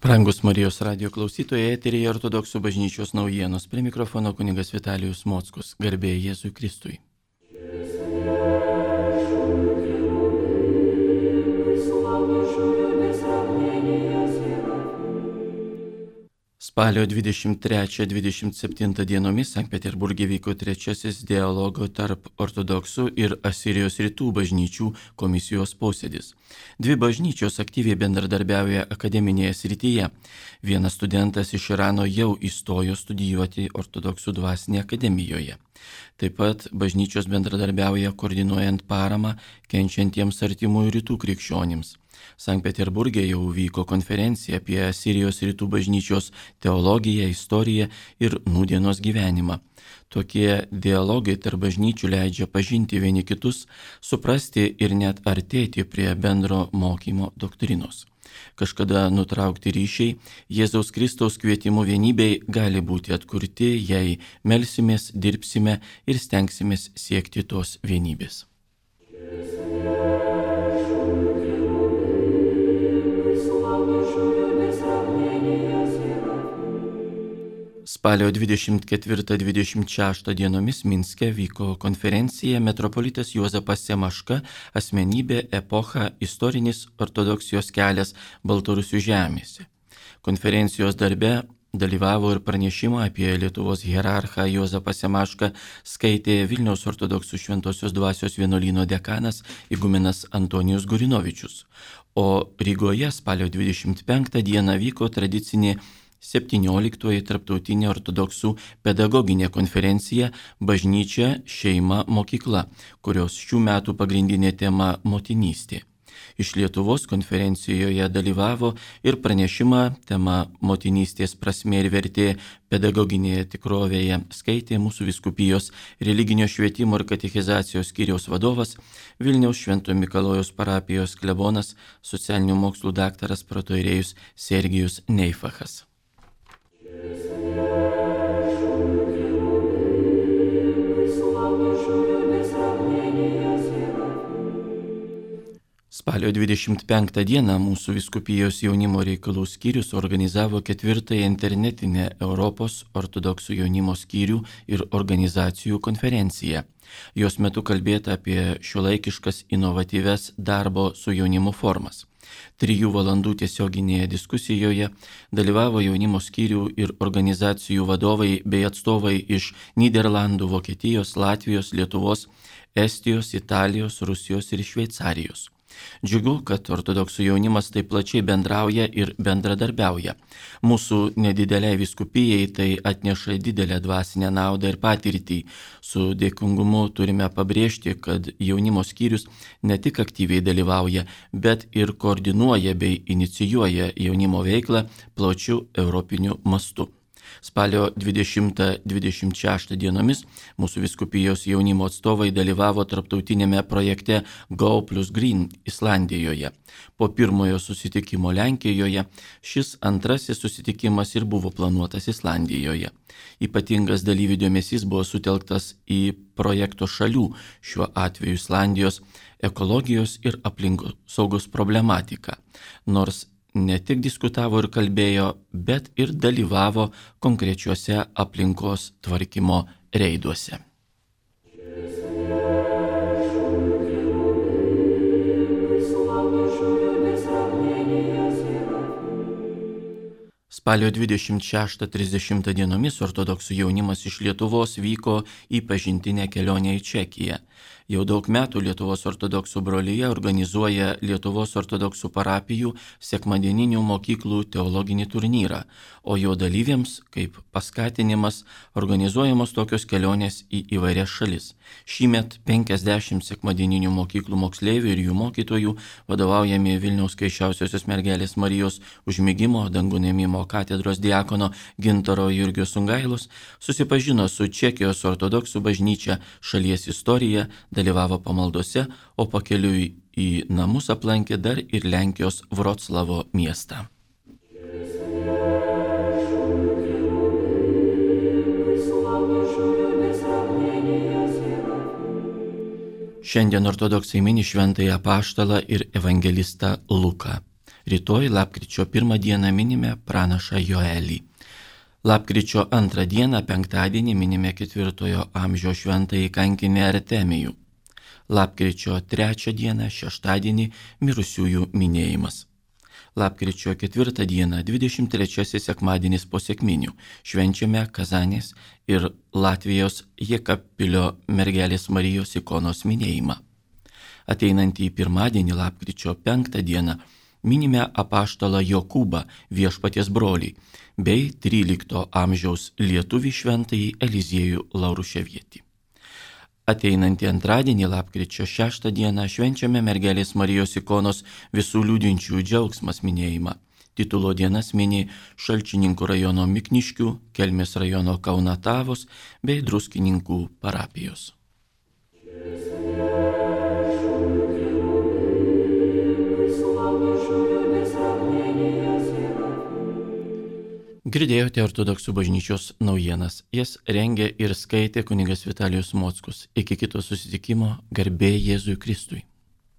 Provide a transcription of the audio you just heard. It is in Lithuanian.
Brangus Marijos radio klausytojai, eteryje Ortodoksų bažnyčios naujienos. Prie mikrofono kunigas Vitalijus Mockus. Garbė Jėzui Kristui. Spalio 23-27 dienomis Sankt Peterburge vyko trečiasis dialogo tarp ortodoksų ir Asirijos rytų bažnyčių komisijos posėdis. Dvi bažnyčios aktyviai bendradarbiauja akademinėje srityje. Vienas studentas iš Irano jau įstojo studijuoti ortodoksų dvasinėje akademijoje. Taip pat bažnyčios bendradarbiauja koordinuojant paramą kenčiantiems artimųjų rytų krikščionims. Sankt Peterburge jau vyko konferencija apie Asirijos rytų bažnyčios teologiją, istoriją ir nūdienos gyvenimą. Tokie dialogai tarp bažnyčių leidžia pažinti vieni kitus, suprasti ir net artėti prie bendro mokymo doktrinos. Kažkada nutraukti ryšiai Jėzaus Kristaus kvietimu vienybei gali būti atkurti, jei melsimės, dirbsime ir stengsimės siekti tos vienybės. Spalio 24-26 dienomis Minske vyko konferencija Metropolitas Juozapas Semaška asmenybė, epocha, istorinis ortodoksijos kelias Baltarusių žemėse. Konferencijos darbe dalyvavo ir pranešimą apie Lietuvos hierarchą Juozapą Semašką skaitė Vilniaus ortodoksų Šventosios dvasios vienuolyno dekanas igumenas Antonijus Gurinovičius, o Rygoje spalio 25 dieną vyko tradicinė 17-oji tarptautinė ortodoksų pedagoginė konferencija Bažnyčia, šeima, mokykla, kurios šių metų pagrindinė tema motinystė. Iš Lietuvos konferencijoje dalyvavo ir pranešimą tema motinystės prasmė ir vertė pedagoginėje tikrovėje skaitė mūsų vyskupijos religinio švietimo ir katechizacijos skyriaus vadovas, Vilniaus Švento Mikalojaus parapijos klebonas, socialinių mokslų daktaras protoirėjus Sergijus Neifachas. Spalio 25 dieną mūsų vyskupijos jaunimo reikalų skyrius organizavo 4-ąją internetinę Europos ortodoksų jaunimo skyrių ir organizacijų konferenciją. Jos metu kalbėta apie šiuolaikiškas inovatyves darbo su jaunimu formas. 3 valandų tiesioginėje diskusijoje dalyvavo jaunimo skyrių ir organizacijų vadovai bei atstovai iš Nyderlandų, Vokietijos, Latvijos, Lietuvos, Estijos, Italijos, Rusijos ir Šveicarijos. Džiugu, kad ortodoksų jaunimas taip plačiai bendrauja ir bendradarbiauja. Mūsų nedideliai vyskupijai tai atneša didelę dvasinę naudą ir patirtį. Su dėkingumu turime pabrėžti, kad jaunimo skyrius ne tik aktyviai dalyvauja, bet ir koordinuoja bei inicijuoja jaunimo veiklą plačiu europiniu mastu. Spalio 20-26 dienomis mūsų vyskupijos jaunimo atstovai dalyvavo tarptautinėme projekte Go plus Green Islandijoje. Po pirmojo susitikimo Lenkijoje šis antrasis susitikimas ir buvo planuotas Islandijoje. Ypatingas dalyvių dėmesys buvo sutelktas į projekto šalių, šiuo atveju Islandijos, ekologijos ir aplinkosaugos problematiką. Nors ne tik diskutavo ir kalbėjo, bet ir dalyvavo konkrečiuose aplinkos tvarkymo reiduose. Spalio 26-30 dienomis ortodoksų jaunimas iš Lietuvos vyko į pažintinę kelionę į Čekiją. Jau daug metų Lietuvos ortodoksų brolija organizuoja Lietuvos ortodoksų parapijų sekmadieninių mokyklų teologinį turnyrą, o jo dalyviams, kaip paskatinimas, organizuojamos tokios kelionės į įvairias šalis. Šįmet 50 sekmadieninių mokyklų moksleivių ir jų mokytojų, vadovaujami Vilniaus Kaiščiausiosios mergelės Marijos Užmigimo dangų ėmimo katedros diakono Gintaro Jurgio Sungailos, susipažino su Čekijos ortodoksų bažnyčia, šalies istorija, dalyvavo pamaldose, o pakeliui į namus aplankė dar ir Lenkijos Vroclavo miestą. Šiandien ortodoksai mini šventąjį apaštalą ir evangelistą Luką. Rytoj lapkričio 1 dieną minime pranašą Joelį. Lapkričio 2 dieną penktadienį minime 4 amžiaus šventąjį kankinį Artemijų. Lapkričio 3 dieną šeštadienį mirusiųjų minėjimas. Lapkričio 4 dieną 23 sekmadienis po sekminių švenčiame Kazanės ir Latvijos Jekapilio mergelės Marijos ikonos minėjimą. Ateinantį pirmadienį lapkričio 5 dieną minime apaštalą Jokūbą, Viešpaties brolį, bei 13 amžiaus lietuvį šventąjį Eliziejų Lauruševietį. Ateinantį antradienį lapkričio 6 dieną švenčiame mergelės Marijos ikonos visų liūdinčių džiaugsmas minėjimą. Titulo dienas mini Šalčininkų rajono Mikniškių, Kelmės rajono Kaunatavos bei Druskininkų parapijos. Girdėjote Ortodoksų bažnyčios naujienas. Jas rengė ir skaitė kunigas Vitalijus Mockus. Iki kito susitikimo, garbė Jėzui Kristui.